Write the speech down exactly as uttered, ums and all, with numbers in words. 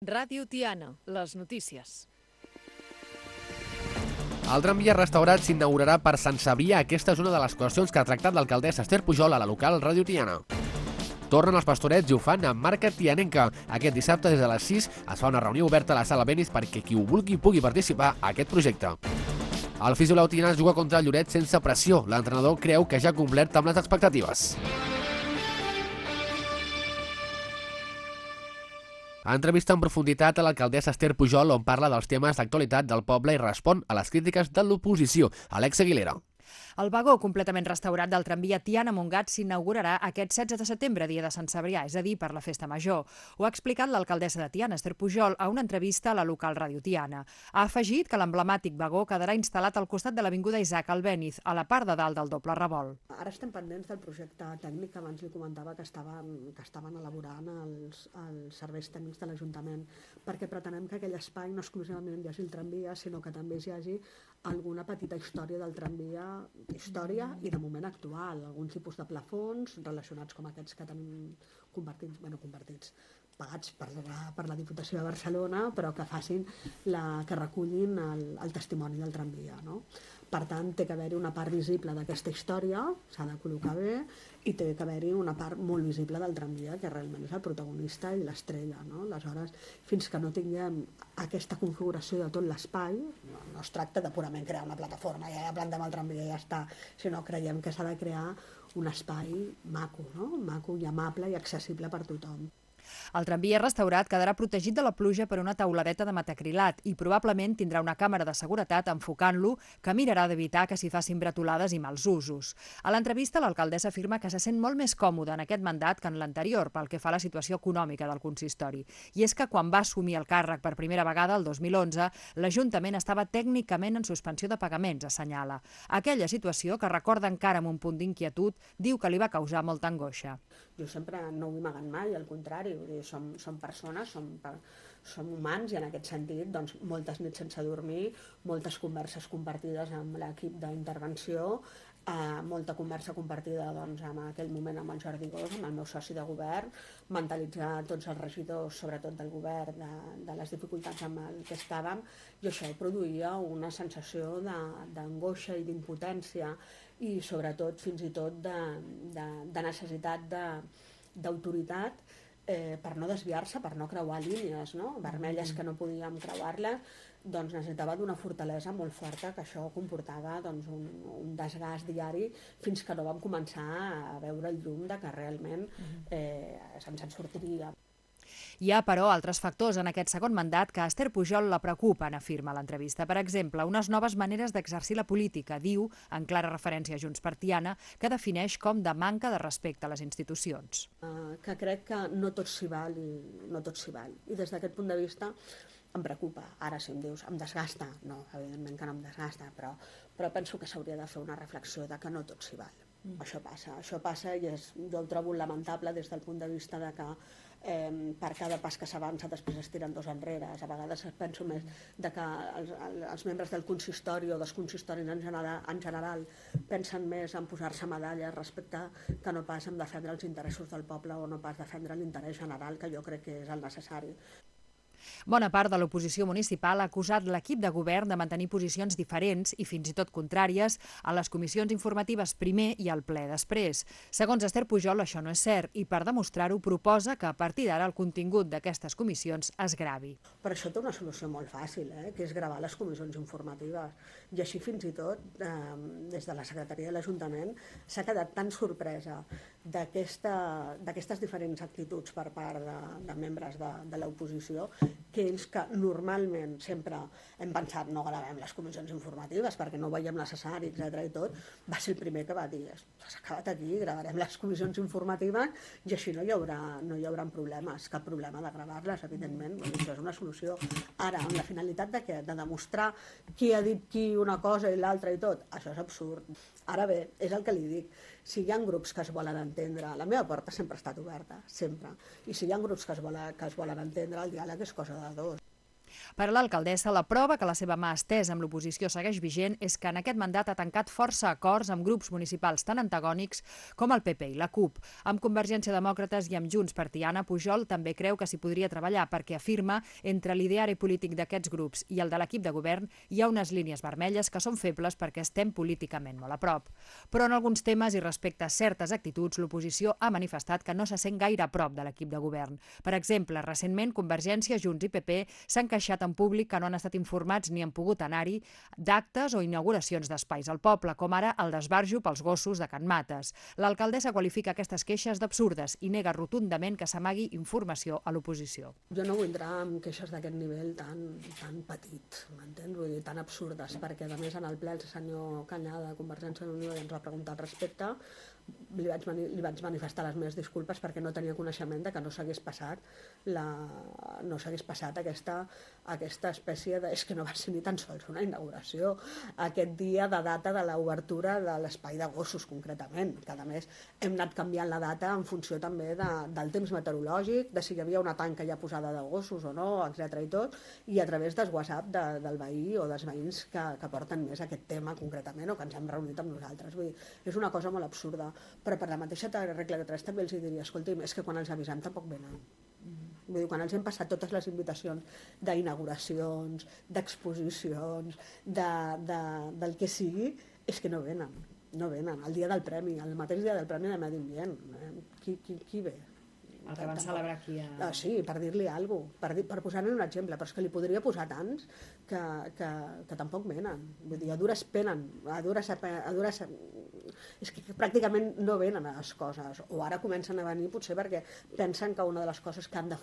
Ràdio Tiana, les notícies. El tramvia restaurat s'inaugurarà per Sant Cebrià. Aquesta és una de les qüestions que ha tractat l'alcaldessa Esther Pujol a la local Ràdio Tiana. Tornen els pastorets i ho fan amb marca tianenca. Aquest dissabte des de les sis es fa una reunió oberta a la sala Benis perquè qui ho vulgui pugui participar a aquest projecte. El Fisolau Tiana juga contra el Lloret sense pressió. L'entrenador creu que ja ha complert amb les expectatives. Entrevista en profunditat a l'alcaldessa Esther Pujol on parla dels temes d'actualitat del poble i respon a les crítiques de l'oposició. Alex Aguilera. El vagó completament restaurat del tramvia Tiana-Montgat s'inaugurarà aquest setze de setembre, dia de Sant Cebrià, és a dir, per la festa major. Ho ha explicat l'alcaldessa de Tiana, Esther Pujol, a una entrevista a la local Ràdio Tiana. Ha afegit que l'emblemàtic vagó quedarà instal·lat al costat de l'avinguda Isaac Albéniz, a la part de dalt del doble revolt. Ara estem pendents del projecte tècnic que abans li comentava que estaven, que estaven elaborant els, els serveis tècnics de l'Ajuntament, perquè pretenem que aquell espai no exclusivament hi hagi el tramvia, sinó que també hi hagi alguna petita història del tramvia, història i de moment actual, alguns tipus de plafons relacionats com aquests que tenim convertits, bueno, convertits, pagats per la, per la Diputació de Barcelona, però que facin la, que recullin el, el testimoni del tramvia, no? Per tant, té que haver-hi una part visible d'aquesta història, s'ha de col·locar bé, i té que haver-hi una part molt visible del tramvia, que realment és el protagonista i l'estrella, no? Aleshores, fins que no tinguem aquesta configuració de tot l'espai, no, no es tracta de purament crear una plataforma, ja, ja plantem el tramvia i ja està, sinó creiem que s'ha de crear un espai maco, no? Maco i amable i accessible per tothom. El tramvia restaurat quedarà protegit de la pluja per una tauladeta de metacrilat i probablement tindrà una càmera de seguretat enfocant-lo que mirarà d'evitar que s'hi facin bretolades i mals usos. A l'entrevista, l'alcaldessa afirma que se sent molt més còmoda en aquest mandat que en l'anterior pel que fa a la situació econòmica del consistori. I és que quan va assumir el càrrec per primera vegada, el dos mil onze, l'Ajuntament estava tècnicament en suspensió de pagaments, assenyala. Aquella situació, que recorda encara amb un punt d'inquietud, diu que li va causar molta angoixa. Jo sempre no ho he amagat mai, al contrari, vull dir, som, som persones, som, som humans i en aquest sentit doncs, moltes nits sense dormir, moltes converses compartides amb l'equip d'intervenció, eh, molta conversa compartida doncs, en aquell moment amb el Jordi Gós, amb el meu soci de govern, mentalitzar tots els regidors, sobretot del govern, de, de les dificultats amb el que estàvem, i això produïa una sensació d'angoixa i d'impotència i sobretot fins i tot de, de, de necessitat d'autoritat eh, per no desviar-se, per no creuar línies, no? Vermelles que no podíem creuar-les, doncs necessitava d'una fortalesa molt forta, que això comportava doncs, un, un desgast diari fins que no vam començar a veure el llum de que realment eh, se'ns en sortiria. Hi ha, però, altres factors en aquest segon mandat que a Esther Pujol la preocupen, afirma a l'entrevista. Per exemple, unes noves maneres d'exercir la política, diu, en clara referència a Junts per Tiana, que defineix com de manca de respecte a les institucions. Uh, que crec que no tot s'hi val i no tot s'hi val. I des d'aquest punt de vista em preocupa. Ara, si em dius, em desgasta, no, evidentment que no em desgasta, però, però penso que s'hauria de fer una reflexió de que no tot s'hi val. Mm. Això passa, això passa i és, jo ho trobo lamentable des del punt de vista de que eh, per cada pas que s'avança després es tiren dos enrere. A vegades penso més de que els, els membres del consistori o dels consistoris en general, en general pensen més en posar-se medalles respecte que no pas en defendre els interessos del poble o no pas defendre l'interès general, que jo crec que és el necessari. Bona part de l'oposició municipal ha acusat l'equip de govern de mantenir posicions diferents i fins i tot contràries a les comissions informatives primer i al ple després. Segons Esther Pujol, això no és cert i per demostrar-ho proposa que a partir d'ara el contingut d'aquestes comissions es gravi. Per això té una solució molt fàcil, eh? Que és gravar les comissions informatives. I així fins i tot, eh, des de la Secretaria de l'Ajuntament, s'ha quedat tan sorpresa d'aquestes diferents actituds per part de, de membres de, de l'oposició que ells que normalment sempre hem pensat no gravem les comissions informatives perquè no ho veiem necessari, etcètera i tot, va ser el primer que va dir s'ha acabat aquí, gravarem les comissions informatives i així no hi haurà, no hi haurà problemes, cap problema de gravar-les, evidentment, això és una solució. Ara, amb la finalitat de què? De demostrar qui ha dit qui una cosa i l'altra i tot, això és absurd. Ara bé, és el que li dic, si hi ha grups que es volen entendre, la meva porta sempre ha estat oberta, sempre, i si hi ha grups que es volen, que es volen entendre, el diàleg és cosa de dos. Per a l'alcaldessa, la prova que la seva mà estesa amb l'oposició segueix vigent és que en aquest mandat ha tancat força acords amb grups municipals tan antagònics com el P P i la CUP. Amb Convergència Demòcrates i amb Junts per Tiana, Pujol també creu que s'hi podria treballar perquè afirma entre l'ideari polític d'aquests grups i el de l'equip de govern hi ha unes línies vermelles que són febles perquè estem políticament molt a prop. Però en alguns temes i respecte a certes actituds, l'oposició ha manifestat que no se sent gaire a prop de l'equip de govern. Per exemple, recentment Convergència, Junts i P P s'han queixat en públic que no han estat informats ni han pogut anar-hi d'actes o inauguracions d'espais al poble, com ara el d'esbarjo pels gossos de Can Mates. L'alcaldessa qualifica aquestes queixes d'absurdes i nega rotundament que s'amagui informació a l'oposició. Jo no vull entrar en queixes d'aquest nivell tan, tan petit, m'entens? Vull dir, tan absurdes, perquè a més en el ple el senyor Canyà de Convergència i Unió ens va preguntar al respecte, li vaig, li vaig manifestar les meves disculpes perquè no tenia coneixement de que no s'hagués passat la, no s'hagués passat aquesta, aquesta espècie de... És que no va ser ni tan sols una inauguració aquest dia de data de l'obertura de l'espai de gossos, concretament, que a més hem anat canviant la data en funció també de, del temps meteorològic, de si hi havia una tanca ja posada de gossos o no, etcètera i tot, i a través dels WhatsApp de, del veí o dels veïns que, que porten més aquest tema concretament o que ens hem reunit amb nosaltres. Vull dir, és una cosa molt absurda. Però per la mateixa regla de tres també els diria, escolti'm, és que quan els avisem tampoc venen. Vull dir, quan els hem passat totes les invitacions d'inauguracions, d'exposicions, de, de, del que sigui, és que no venen, no venen. El dia del premi, el mateix dia del premi de Medi Ambient, eh? qui, qui, qui ve? El que van celebrar aquí a... Ah, sí, per dir-li alguna cosa, per, dir, per posar-ne un exemple, però és que li podria posar tants que, que, que tampoc venen. Vull dir, a dures penen, a dures, a dures... És que pràcticament no venen a les coses, o ara comencen a venir potser perquè pensen que una de les coses que han de